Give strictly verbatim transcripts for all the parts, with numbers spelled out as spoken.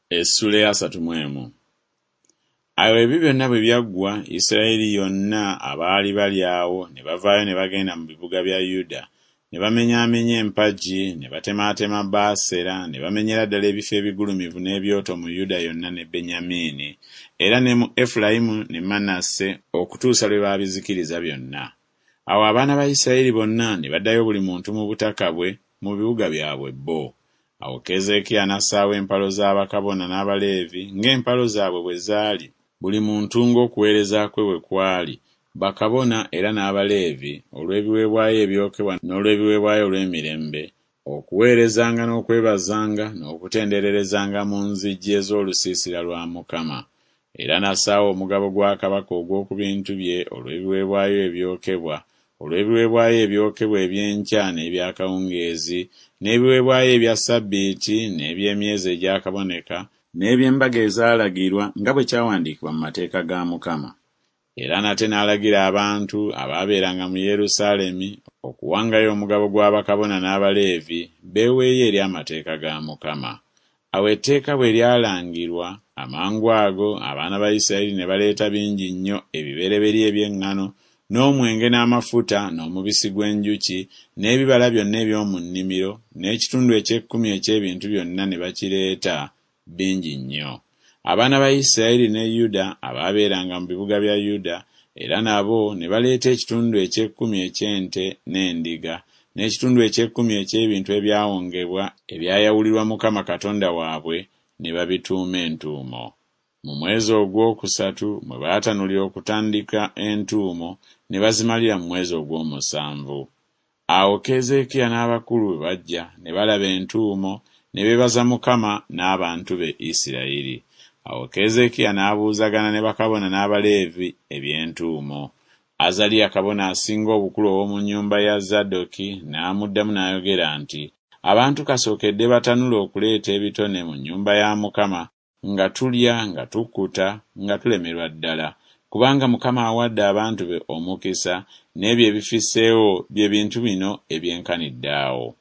Essula eyasatu mu emu. Awo ebyo byonna bwe byaggwa, Isirayiri yonna abaali bali awo ne bavaayo ne bagenda mu bibuga bya Yuda, ne bamenyaamenya empagi, ne batemaatema Baasera, ne bamenyera ddala ebifo ebigulumivu n'ebyoto mu Yuda yonna ne Benyamini, era ne mu Efulayimu ne Manase okutuusa lwe baabizikiriza byonna. Awo abaana ba Isirayiri bonna ne baddayo buli muntu mu butaka bwe mu bibuga byabwe bo. Awo Keezeekiya n'assaawo empalo za bakabona n'Abaleevi ng'empalo zaabwe bwe zaali, buli muntu ng'okuweereza kwe bwe kwali, bakabona era n'Abaleevi olw'ebiweebwayo ebyokebwa n'olw'ebiweebwayo olw'emirembe, okuweerezanga n'okwebazanga n'okutendererezanga mu nzigi ez'olusiisira lwa Mukama. Era n'assaawo omugabo gwa kabaka ogw'oku bintu bye olw'ebiweebwayo ebyokebwa, olw'ebiweebwayo ebyokebwa eby'enkya n'eby'akawungeezi, n'ebiweebwayo ebya ssabbiiti n'eby'emyezi egyakaboneka, n'eby'embaga ezaalagirwa nga bwe kyawandiikibwa mu mateeka ga Mukama. Era nate n'alagira abantu abaabeeranga mu Yerusaalemi okuwangayo omugabo gwa bakabona n'Abaleevi beeweeyo eri amateeka ga Mukama. Awo etteeka bwe lyalangirwa, amangu ago abaana ba Isirayiri ne baleeta bingi nnyo ebibereberye eby'eŋŋano n'omwenge n'amafuta n'omubisi gw'enjuki n'ebibala byonna eby'omu nnimiro n'ekitundu eky'ekkumi eky'ebintu byonna ne bakireeta bingi nnyo. Abaana ba Isirayiri ne Yuda abaabeeranga mu bibuga bya Yuda era nabo ne baleeta ekitundu eky'ekkumi eky'ente n'endiga n'ekitundu eky'ekkumi eky'ebintu ebyawongebwa ebyayawulirwa Mukama Katonda waabwe ne babituuma entuumo. Mu mwezi ogwokusatu mwe baatanulira okutandika entuumo ne bazimalira mu mwezi ogw'omusanvu. Awo Keezeekiya n'abakulu bwe bajja ne balaba entuumo ne beebaza Mukama n'abantu be Isirayiri. Awo Keezeekiya n'abuuzagana ne bakabona n'Abaleevi eby'entuumo. Azaliya kabona asinga obukulu ow'omu nnyumba ya Zadooki n'amuddamu n'ayogera nti, Abantu kasookedde batanula okuleeta ebitone mu nnyumba ya Mukama nga tulya nga tukkuta nga tulemerwa ddala, kubanga Mukama awadde abantu be omukisa n'ebyo ebifisseewo bye bintu bino ebyenkanidde awo.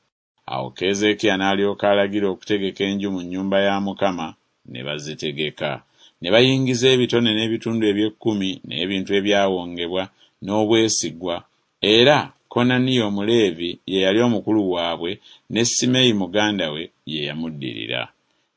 Awo Keezeekiya n'alyoka alagira okutegeka enju mu nnyumba ya Mukama, ne bazitegeka. Ne bayingiza ebitone n'ebitundu eby'ekkumi n'ebintu ebyawongebwa n'obwesigwa, era Konaniya Omuleevi ye yali omukulu waabwe ne Simeeyi muganda we ye yamuddirira.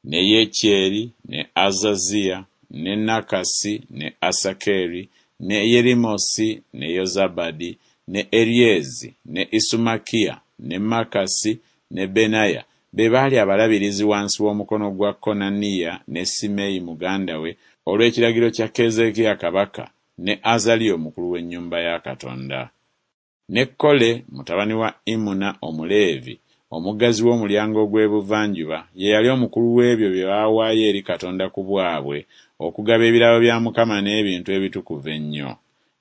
Ne Yekyeri ne Azaziya ne Nakasi ne Asakeri ne Yerimosi ne Yozabadi ne Eryezi ne Isumakiya ne Makasi ne Benaya be baali abalabirizi wansi w'omukono gwa Konaniya ne Simeeyi muganda we olw'ekiragiro kya Keezeekiya kabaka ne Azaliya omukulu w'ennyumba ya Katonda. Ne Kole mutabani wa Imuna Omuleevi omuggazi w'omulyango ogw'ebuvanjuba ye yali omukulu w'ebyo bye baawaayo eri Katonda ku bwabwe okugaba ebirabo bya Mukama n'ebintu ebitukuvu ennyo.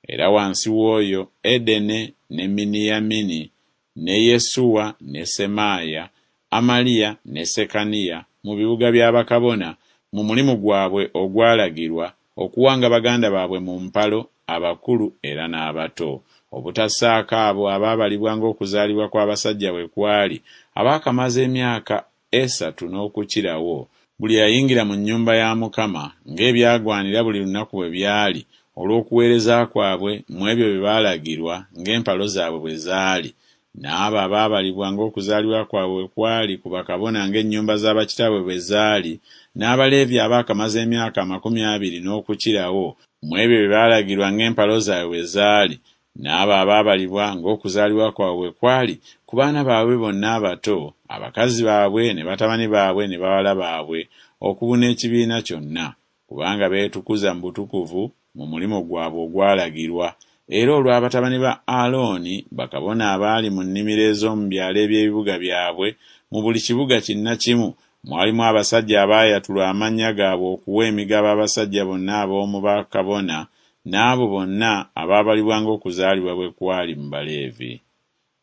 Era wansi w'oyo Edene ne Miniyamini ne Yesuwa ne Semaaya, Amaliya ne Sekaniya mu bibuga bya bakabona mu mulimu gwabwe ogwalagirwa okuwanga baganda baabwe mu mpalo abakulu era n'abato, obutassaako abo abaabalibwa ng'okuzaalibwa kw'abasajja bwe kwali abaakamaze emyaka esatu n'okukirawo, buli eyayingira mu nnyumba ya Mukama ng'ebyagwanira buli lunaku bwe byali olw'okuweereza kwabwe mu ebyo bye baalagirwa ng'empalo zaabwe bwe zaali, n'abo abaabalibwa ng'okuzaalibwa kwabwe bwe kwali ku bakabona ng'ennyumba za bakitaabwe bwe zaali, n'Abaleevi abaakamaze emyaka amakumi abiri n'okukirawo mu ebyo bye baalagirwa ng'empalo zaabwe bwe zaali, n'abo abaabalibwa ng'okuzaalibwa kwabwe bwe kwali ku baana baabwe bonna abato, abakazi baabwe ne batabani baabwe ne bawala baabwe, okubuna ekibiina kyonna, kubanga beetukuza mu butukuvu mu mulimu gwabwe ogwalagirwa, era olwa batabani ba Alooni bakabona abaali mu nnimiro ez'omu byalo eby'ebibuga byabwe, mu buli kibuga kinnakimu mwalimu abasajja abaayatulwa amannya gaabwe okuwa emigabo abasajja bonna ab'omu bakabona n'abo bonna abaabalibwa ng'okuzaalibwa bwe kwali mu Baleevi.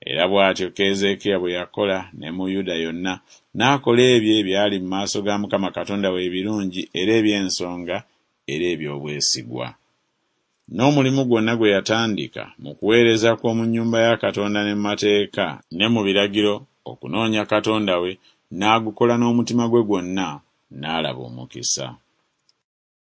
Era bw'atyo Keezeekiya bwe yakola ne mu Yuda yonna, n'akola ebyo ebyali mu maaso ga Mukama Katonda we ebirungi era eby'ensonga era eby'obwesigwa. N'omulimu gwonna gwe yatandika mu kuweereza kw'omu nnyumba ya Katonda ne mu mateeka ne mu biragiro okunoonya Katonda we, n'agukola n'omutima gwe gwonna n'alaba omukisa.